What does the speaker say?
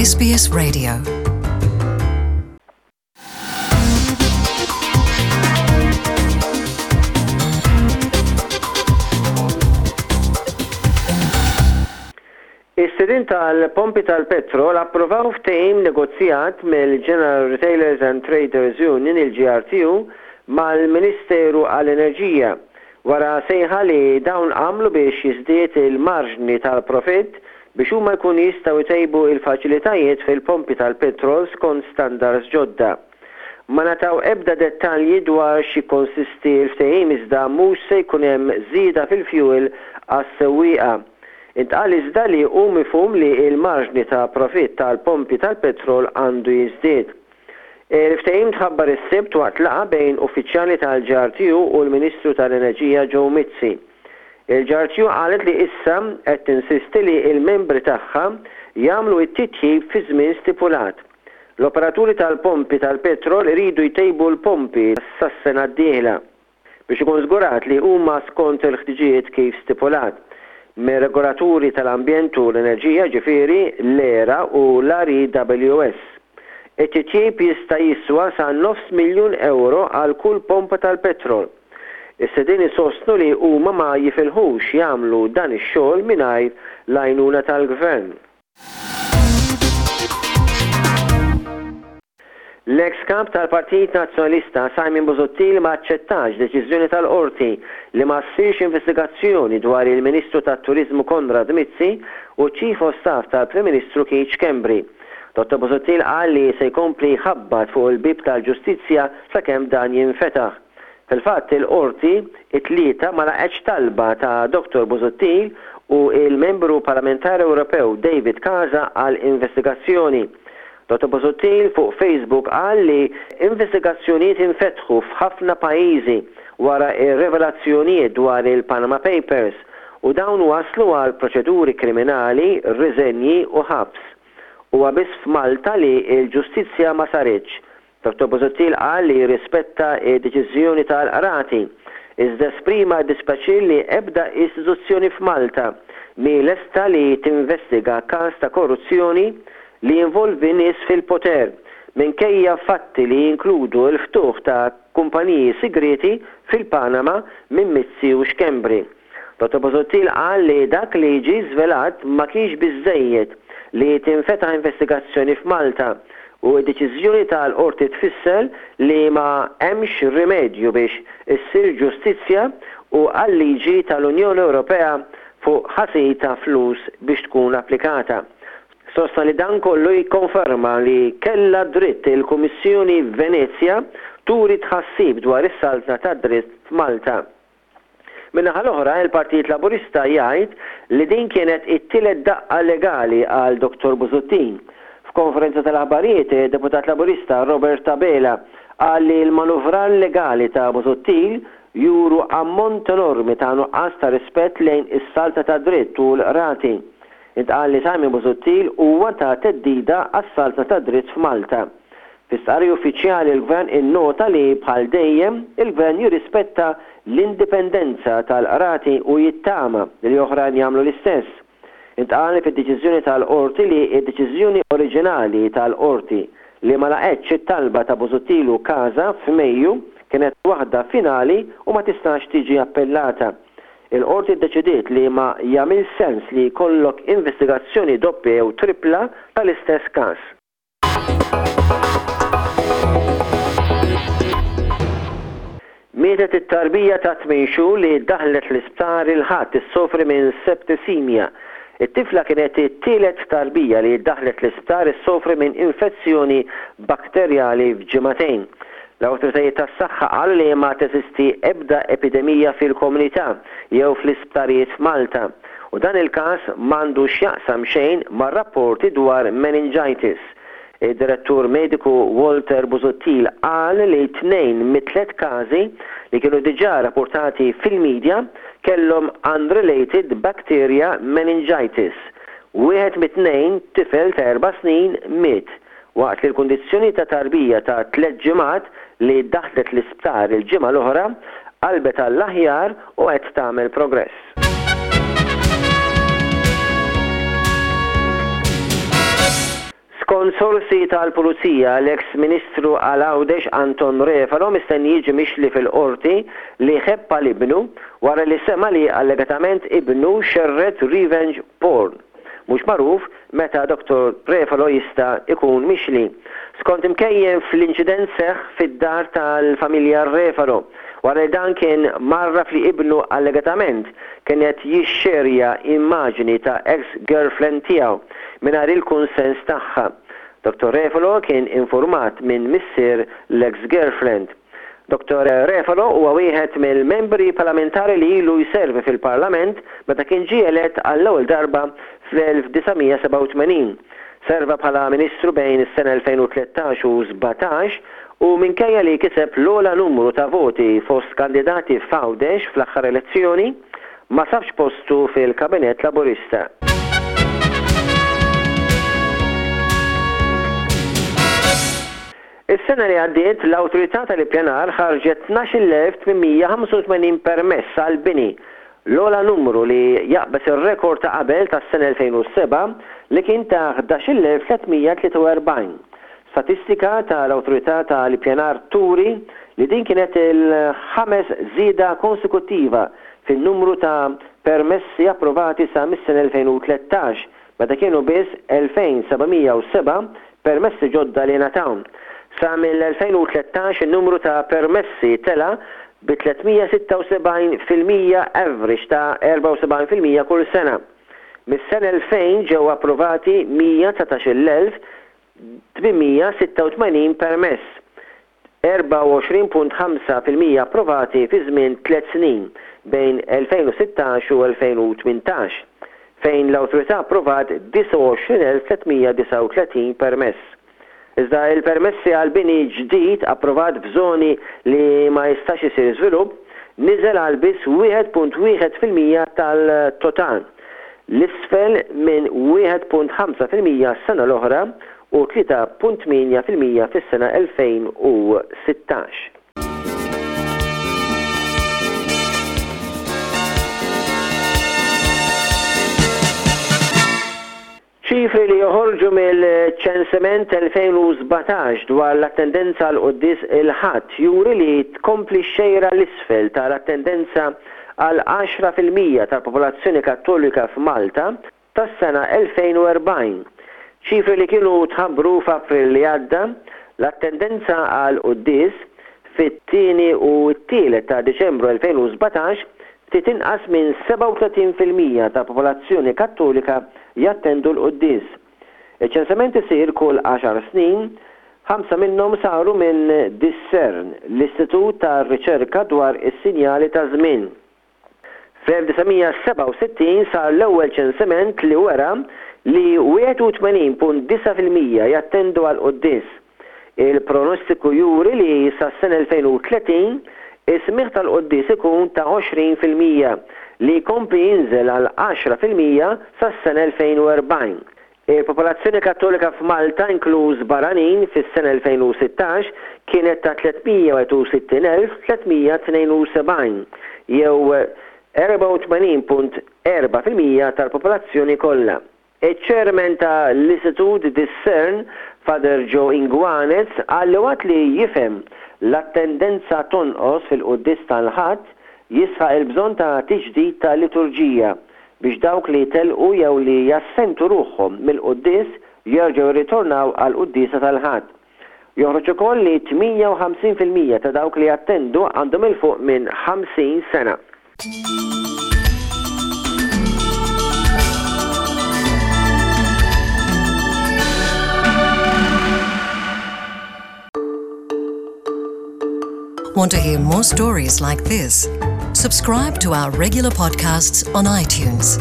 SBS Radio. Is-sidien tal-pompi tal-petrol approvaw ftehim negozjat mill-General Retailers and Traders Union, il-GRTU, mal-Ministeru għall-Enerġija, wara sejħa li dawn għamlu biex jiżdied il-marġni tal-profitt biex huma jkunu jistgħu jtejbu l-faċilitajiet fil-pompi tal-petrol skont standards ġodda. Ma ngħataw ebda dettalji dwar x'jikkonsisti l-ftehim iżda mhux se jkun hemm żieda fil-fjuwil għas-sewwieqa. Intqal iżda li hu mifhum li l-marġni ta' profitt tal-pompi tal-petrol għandu jiżdied. Il-ftehim tħabbar is-Sibt waqt laqgħa bejn uffiċjali tal-GRTU u l-Ministru tal-Enerġija Joe Mizzi. Il-GRTU qalet li issa qed tinsisti li l-membri tagħha jagħmlu t-titjib fiż-żmien stipulat. L-operaturi tal-pompi tal-petrol iridu jtejbu l-pompi sas-sena d-dieħla biex ikun żgurat li huma skont il-ħtiġijiet kif stipulat mir-regolaturi tal-ambjent u l-enerġija, jiġifieri l-ERA u l-REWS. It-titjib jista' jiswa sa nofs miljun ewro għal kull pompa tal-petrol. Is-sidien isostnu li huma ma jifilħux jagħmlu dan ix-xogħol mingħajr l-għajnuna tal-Gvern. L-eks Kap tal-Partit Nazzjonalista Simon Busuttil ma aċċettax deċiżjoni tal-Qorti li ma ssirx investigazzjoni dwar il-Ministru tat-Turiżmu Konrad Mizzi u ċ-Chief of Staff tal-Prim Ministru Keith Schembri. Dottor Busuttil qal li se jkompli jħabbat fuq il-bieb tal-ġustizzja sakemm dan jinfetaħ. Fil-fatt, il-Qorti, it-Tlieta, ma laqgħetx talba ta' Dottor Busuttil u l-Membru Parlamentari Ewropew David Casa għal investigazzjoni. Dottor Busuttil fuq Facebook qal li investigazzjonijiet infetħu f'ħafna pajjiżi wara r-rivelazzjonijiet dwar il-Panama Papers u dawn wasslu għal proċeduri kriminali, riżenji u ħabs. Huwa biss f'Malta li l-ġustizzja ma saritx. Dottor Busuttil qal li jirrispetta d-deċiżjoni tal-Qrati, iżda esprima d-dispjaċir li ebda istituzzjoni f'Malta mhi lesta li tinvestiga każ ta' korruzzjoni li jinvolvi nies fil-poter, minkejja fatti li jinkludu l-ftuħ ta' kumpaniji sigrieti fil-Panama minn Mizzi u Schembri. Dottor Busuttil qal li dak li ġie żvelat ma kienx biżżejjed li tinfetaħ investigazzjoni f'Malta u d-deċiżjoni tal-Qorti tfisser li ma hemmx rimedju biex issir ġustizzja u għal-liġi tal-Unjoni Ewropea fuq ħasil ta' flus biex tkun applikata. Sostna li dan kollu jikkonferma li kellha dritt il-Kummissjoni Venezja turi tħassib dwar is-saltna tad-dritt f'Malta. Min-naħa l-oħra, il-Partit Laburista jgħid li din kienet it-tielet daqqa legali għal Dottor Busuttil. F'konferenza tal-aħbarijiet, id-Deputat Laburista Robert Abela qal li l-manuvrar legali ta' Busuttil juru ammont enormi ta' nuqqas ta' rispett lejn is-saltna tad-dritt u l-qrati. Intqal li Simon Busuttil huwa ta' theddida għas-saltna tad-dritt f'Malta. Fi stqarrija uffiċjali l-Gvern innota li bħal dejjem il-Gvern jirrispetta l-indipendenza tal-Qrati u jittama li oħrajn jagħmlu l-istess. Intqal fid-deċiżjoni tal-Qorti li d-deċiżjoni oriġinali tal-Qorti li ma laqgħetx it-talba ta' Busuttil u Casa f'Mejju kienet waħda finali u ma tistax tiġi appellata. Il-Qorti ddeċidiet li ma jagħmilx sens li jkollok investigazzjoni doppja jew trippla tal-istess każ. Mietet it-tarbija ta' tmien xhur li ddaħħlet l-isptar il-Ħadd issofri minn septisemia. It-tifla kienet it-tielet tarbija li ddaħħlet l-isptar issofri minn infezzjoni bakterjali f'ġimagħtejn. L-awtoritajiet tas-saħħa qalu li ma teżisti ebda epidemija fil-komunità jew fl-isptarijiet f'Malta u dan il-każ m'għandu x'jaqsam xejn mar-rapporti dwar meningitis. Id-Direttur Mediku Walter Busuttil qal li tnejn mit-tliet każi li kienu diġà rapportati fil-media kellhom unrelated bacteria meningitis. Wieħed mit-tnejn, tifel ta' erba' snin, miet. waqt li l-kundizzjoni ta' tarbija ta' tlett ġimgħat li ddaħħlet l-isptar il-ġimgħa l-oħra qalbet għall-aħjar u qed tagħmel progress. Skont sorsi tal-Pulizija, l-eks Ministru għal Għawdex Anton Refalo mistenni jiġi mixli fil-Qorti li ħebb għal ibnu wara li sema' li allegatament ibnu xerred revenge porn. Mhux magħruf meta Dottor Refalo jista' jkun mixli. Skont imkejjen fl-inċident seħħ fid-dar tal-familja Refalo wara li dan kien mgħarraf li ibnu allegatament kien qed jixxerja immaġini ta' eks girlfriend tiegħu mingħajr il-kunsens tagħha. Dottor Refalo kien infurmat minn missier l-eks girlfriend. Dottor Refalo huwa wieħed mill-membri parlamentari li ilu jservi fil-Parlament meta kien ġie elett għall-ewwel darba fl-1987. Serva bħala Ministru bejn is-sena 2013 u 17 u minkejja li kiseb l-ogħla numru ta' voti fost kandidati f'Għawdex fl-aħħar elezzjoni, ma sabx postu fil-Kabinett Laburista. Is-sena li għaddiet, l-Awtorità tal-Ippjanar ħarġet 12,885 permess għall-bini, l-ogħla numru li jaqbeż ir-rekord ta' qabel tas-sena 2007 li kien ta' 11,343. Statistika tal-Awtorità tal-Ippjanar turi li din kienet il-ħames żieda konsekuttiva fin-numru ta' permessi approvati sa mis-sena 2013, meta kienu biss 2,707 permessi ġodda li ngħataw. Sa mill-2013 in-numru ta' permessi tela' bi 376% average ta' 74% kull sena. Mis-sena 2000 ġew approvati 119,886 permess, 24.5% approvati fi żmien tliet snin bejn 2016 u 2018, fejn l-Awtorità approvat 29,339 permess. Iżda il-permessi għal bini ġdid approvat f'żoni li ma jistax isir żvilupp niżel għal biss 1.1% tal-total, 'l isfel minn 1.5% s-sena l-oħra u 3.8% fis-sena 2016. Ċifri li joħorġu mill-ċensiment 2017 dwar l-attendenza għall-quddies il-Ħadd juri li tkompli x-xejra 'l isfel tal-attendenza għal 10% tal-popolazzjoni Kattolika f'Malta tas-sena 2040. Ċifri li kienu tħabbru f'April li għadda, l-attendenza għall-quddies fit-tieni u t-tielet ta' Diċembru 2017 Ftit inqas minn 37% tal-popolazzjoni Kattolika jattendu l-quddies. Iċ-ċensiment isir kull għaxar snin, ħamsa minnhom saru minn Discern, l-istitut ta' riċerka dwar is-sinjali taż-żmien. Fl-1967 sar l-ewwel ċensiment li wera li 81.9% jattendu għall-quddies. Il-pronostiku juri li sas-sena 2030 is-smigħ tal-quddies ikun ta' 20%, li jkompli jinżel għal 10% sas-sena 2040. Il-popolazzjoni Kattolika f'Malta, inkluż barranin, fis-sena 2016 kienet ta' 361,372, jew 84.4% tal-popolazzjoni kollha. Iċ-Chairman ta' l-Istitut Discern, Father Joe Inguanez, qal li waqt li jifhem l-attendenza tonqos fil-quddies tal-Ħadd, jisħaq il-bżonn ta' tiġdid ta' liturġija biex dawk li telqu jew li jassentu ruħhom mill-quddies jerġgħu jirritornaw għall-quddiesa tal-Ħadd. Joħroġ ukoll li 58% ta' dawk li jattendu għandhom 'il fuq minn 50 sena. Want to hear more stories like this? Subscribe to our regular podcasts on iTunes.